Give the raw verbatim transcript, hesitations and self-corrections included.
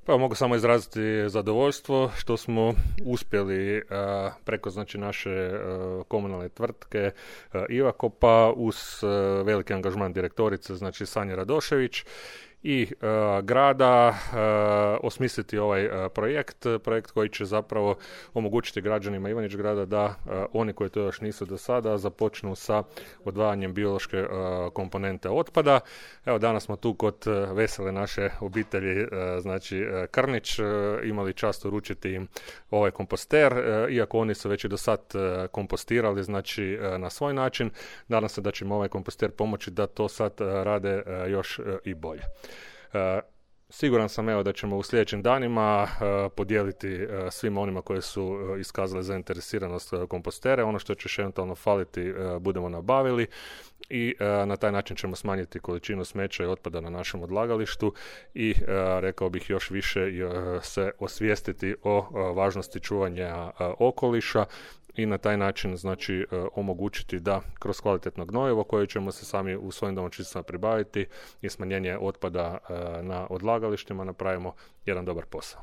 Pa mogu samo izraziti zadovoljstvo što smo uspjeli a, preko znači naše a, komunalne tvrtke a, Ivakopa uz a, veliki angažman direktorice, znači Sanje Radošević i a, grada a, osmisliti ovaj a, projekt, projekt koji će zapravo omogućiti građanima Ivanić Grada da a, oni koji to još nisu do sada započnu sa odvajanjem biološke a, komponente otpada. Evo danas smo tu kod a, vesele naše obitelji, a, znači a, Krnić, a, imali čast uručiti im ovaj komposter, a, iako oni su već i do sad a, kompostirali, znači a, na svoj način. Nadam se da će im ovaj komposter pomoći da to sad a, rade a, još a, i bolje. Uh, siguran sam evo da ćemo u sljedećim danima uh, podijeliti uh, svima onima koji su uh, iskazali zainteresiranost uh, kompostere. Ono što će eventualno faliti uh, budemo nabavili i uh, na taj način ćemo smanjiti količinu smeća i otpada na našem odlagalištu i uh, rekao bih još više uh, se osvijestiti o uh, važnosti čuvanja uh, okoliša i na taj način znači omogućiti da kroz kvalitetno gnojivo koje ćemo se sami u svojim domaćinstvima pribaviti i smanjenje otpada na odlagalištima napravimo jedan dobar posao.